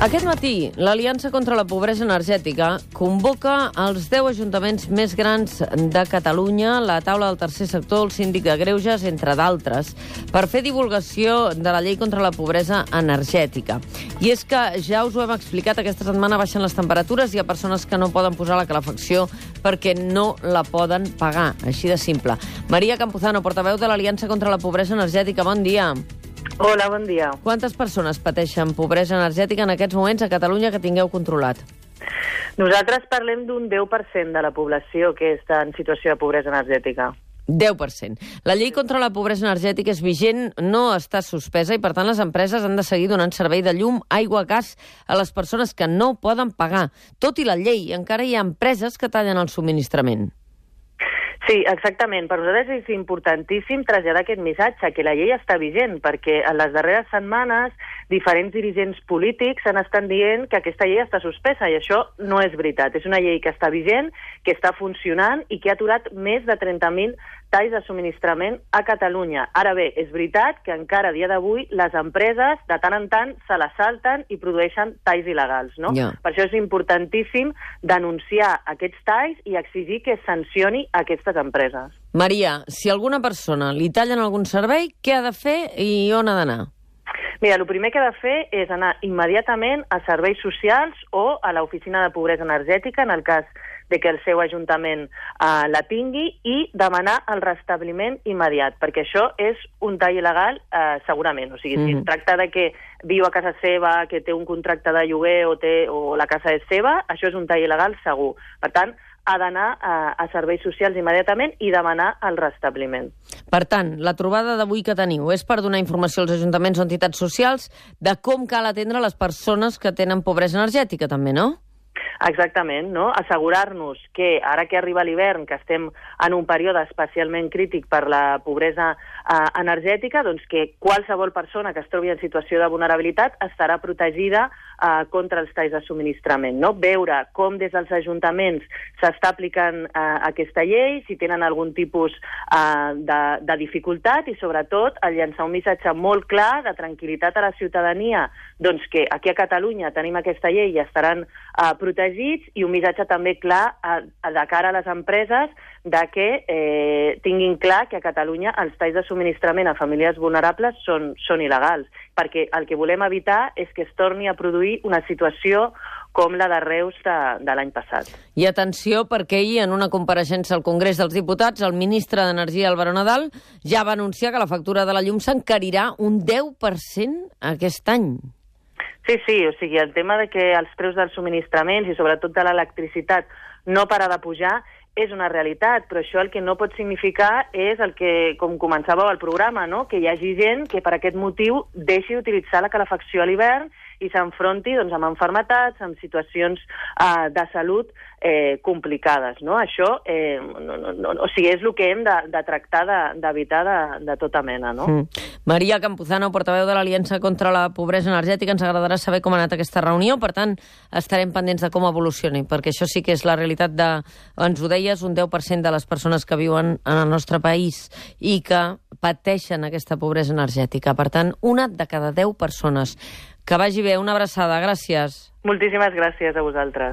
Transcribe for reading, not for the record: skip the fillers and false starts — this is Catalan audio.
Aquest matí, l'Aliança contra la Pobresa Energètica convoca els 10 ajuntaments més grans de Catalunya, la taula del tercer sector, el síndic de Greuges, entre d'altres, per fer divulgació de la llei contra la pobresa energètica. I és que, ja us ho hem explicat, aquesta setmana baixen les temperatures i hi ha persones que no poden posar la calefacció perquè no la poden pagar, així de simple. Maria Campuzano, portaveu de l'Aliança contra la Pobresa Energètica, bon dia. Hola, bon dia. Quantes persones pateixen pobresa energètica en aquests moments a Catalunya que tingueu controlat? Nosaltres parlem d'un 10% de la població que està en situació de pobresa energètica. 10%. La llei contra la pobresa energètica és vigent, no està suspesa i, per tant, les empreses han de seguir donant servei de llum, aigua, gas a les persones que no poden pagar. Tot i la llei, encara hi ha empreses que tallen el subministrament. Sí, exactament. Per nosaltres és importantíssim traslladar aquest missatge, que la llei està vigent, perquè en les darreres setmanes diferents dirigents polítics han estat dient que aquesta llei està suspesa, i això no és veritat. És una llei que està vigent, que està funcionant i que ha aturat més de 30.000 talls de subministrament a Catalunya. Ara bé, és veritat que encara a dia d'avui les empreses de tant en tant se la salten i produeixen talls il·legals, no? Ja. Per això és importantíssim denunciar aquests talls i exigir que es sancioni aquestes empreses. Maria, si a alguna persona li tallen algun servei, què ha de fer i on ha d'anar? Mira, el primer que ha de fer és anar immediatament a serveis socials o a l'oficina de pobresa energètica, en el cas de que el seu ajuntament la tingui, i demanar el restabliment immediat, perquè això és un tall il·legal segurament. O sigui, si es tracta de que viu a casa seva, que té un contracte de lloguer o la casa és seva, això és un tall il·legal segur. Per tant, ha d'anar a serveis socials immediatament i demanar el restabliment. Per tant, la trobada d'avui que teniu és per donar informació als ajuntaments o entitats socials de com cal atendre les persones que tenen pobresa energètica, també, no? Exactament, no? Assegurar-nos que ara que arriba l'hivern, que estem en un període especialment crític per la pobresa energètica, doncs que qualsevol persona que es trobi en situació de vulnerabilitat estarà protegida contra els talls de subministrament, no? Veure com des dels ajuntaments s'està aplicant aquesta llei, si tenen algun tipus de dificultat, i sobretot el llançar un missatge molt clar de tranquil·litat a la ciutadania, doncs que aquí a Catalunya tenim aquesta llei i estaran protegits, i un missatge també clar de cara a les empreses de que tinguin clar que a Catalunya els talls de subministrament a famílies vulnerables són il·legals, perquè el que volem evitar és que es torni a produir una situació com la de Reus de l'any passat. I atenció, perquè ahir, en una compareixença al Congrés dels Diputats, el ministre d'Energia, Álvaro Nadal, ja va anunciar que la factura de la llum s'encarirà un 10% aquest any. Sí, o sigui, el tema de que els preus dels subministraments i sobretot de l'electricitat no para de pujar és una realitat, però això el que no pot significar és el que, com començàveu el programa, no? Que hi hagi gent que per aquest motiu deixi d'utilitzar la calefacció a l'hivern i s'enfronti doncs, amb malalties, amb situacions de salut complicades, no? Això o sigui, és el que hem de tractar d'evitar de tota mena, no? Maria Campuzano, portaveu de l'Aliança contra la Pobresa Energètica, ens agradarà saber com ha anat aquesta reunió, per tant, estarem pendents de com evolucioni, perquè això sí que és la realitat ens ho deies, un 10% de les persones que viuen en el nostre país i que pateixen aquesta pobresa energètica. Per tant, una de cada 10 persones. Que vagi bé, una abraçada, gràcies. Moltíssimes gràcies a vosaltres.